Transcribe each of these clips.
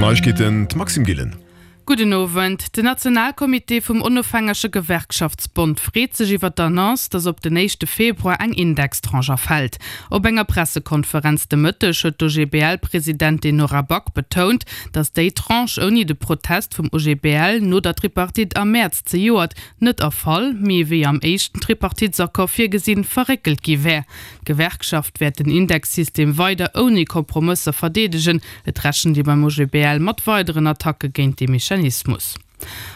Neiegkeeten, d'Maxime Gillen. Gudden Owend. Den Nationalcomité vum Onofhängege Gewerkschaftsbond freet sech iwwer d'Annonce, datt op den éischte Februar eng Indextranche erfält. Op enger Pressekonferenz de Mëtteg huet d'OGBL-Presidentin Nora Back betount, datt déi Tranche ouni de Protest vum OGBL no der Tripartite am Mäerz zejoert net erfall, mee wéi am éischten Tripartitesaccord virgesinn, verréckelt gi wär. D'Gewerkschaft wäert den Indexsystem weider ouni Kompromësser verdeedegen. Et rechent ee beim OGBL mat weideren Attacke géint dee Mechanismus.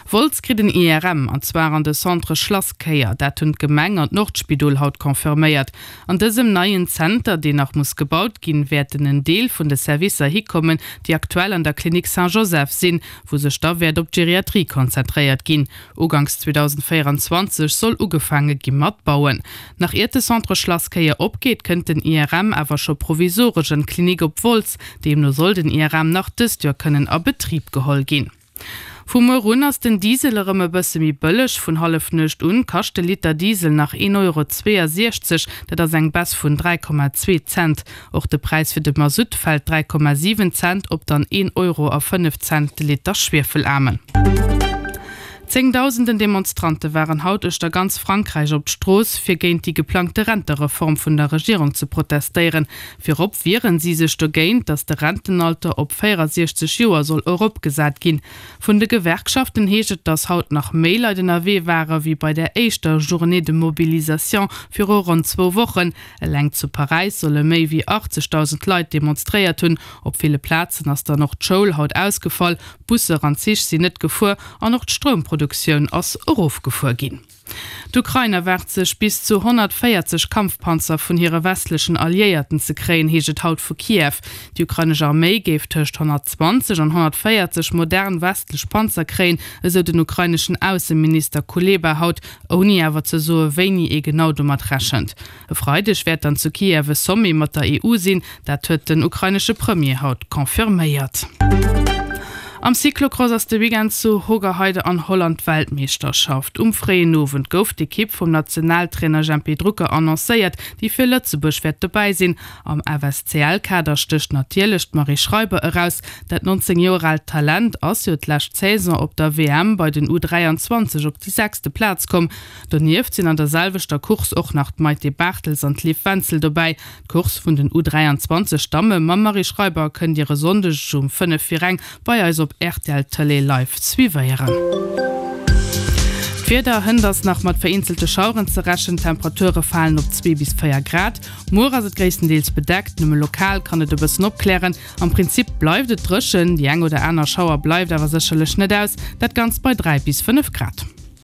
Wolz kritt en IRM, an zwar an de Centre Schlasskéier. Dat hunn d'Gemeng an d'Nordspidol haut confirméiert. An dësem neien Zenter, deen nach muss gebaut ginn, wäerten en Deel vun de Servicer hikommen, déi aktuell an der Klinik Saint-Joseph sinn, wou sech da wäert op d'Geriatrie konzentréiert ginn. Uganks 2024 soll ugefaange gi mat bauen. Nach iert de Centre Schlasskéier opgeet, kënnt den IRM awer scho provisoresch an d'Klinik op Wolz. Deemno soll den IRM nach dëst Joer kënnen a Betrib geholl ginn. Vu muer un ass den Diesel erëm e bësse méi bëlleg. Vun Hallefnuecht un kascht de Liter Diesel nach 1,62 Euro, dat ass eng Baisse vun 3,2 Cent. Och de Präis fir de Masutt fält 3,7 Cent op dann 1 Euro a 5 Cent de Liter Schwiefelaarmen. Zéngdausenden Demonstrante waren haut uechter ganz Frankräich op d'Strooss, fir géint déi geplangte Rentereform vun der Regierung ze protestéieren. Virop wieren si sech dogéint, datt de Rentenalter op 64 Joer soll eropgesat ginn. Vun de Gewerkschaften heescht et, datt haut nach méi Leit ënnerwee ware wéi bei der éischter Journée de mobilisation viru ronn zwou Wochen. Eleng zu Paräis solle méi wéi 80.000 Leit demonstréiert hunn. Op ville Plazen ass dann och d'Schoul haut ausgefall, Busser an Zich sinn net gefuer an och d'Stroumproduktioun ass erofgefuer ginn. D'Ukrain erwaart sech bis zu 140 Kampfpanzer vun hire westlechen Alliéierten ze kréien, heescht et haut vu Kiew. Déi ukrainesch Arméi géif tëscht 120 an 140 modern westlech Panzer kréien, esou den ukraineschen Ausseminister Kuleba haut, ouni awer ze soe wéini ee genau domat rechent. E Freideg wäert dann zu Kiew e Sommet mat der EU sinn, dat huet den ukrainesche Premier haut confirméiert. Am Cyclocross ass de Weekend zu Hoogerheide an Holland d'Weltmeeschterschaft. Um fréien Owend gouf d'Ekipp vum Nationaltrainer Jempy Drucker annoncéiert, déi fir Lëtzebuerg wäert dobäi sinn. Am FSCL-Kader stécht natierlech d'Marie Schreiber eraus. Dat 19 Joer aalt Talent ass jo d'lescht Saison op der WM bei den U 23 op déi sechste Plaz komm. Donieft sinn an der selwechter Course och nach d'Maïté Barthels an d'Liv Wenzel dobäi. D'Course vun den U 23 Damme mam Marie Schreiber kënnt Dir e Sonndeg um 5 vir eng bei eis op rtl Tëlee live suivéieren. D'Wieder, Hënt ass nach mat vereenzelte Schaueren ze rechnen, d'Temperature falen op 2 bis 4 Grad. Muer ass et gréisstendeels bedeckt, nëmme lokal kann et e bëssen opklären. Am Prinzip bleift et dréchen, déi eng oder aner Schauer bleift awer sécherlech net aus, dat Ganzt bei 3 bis 5 Grad.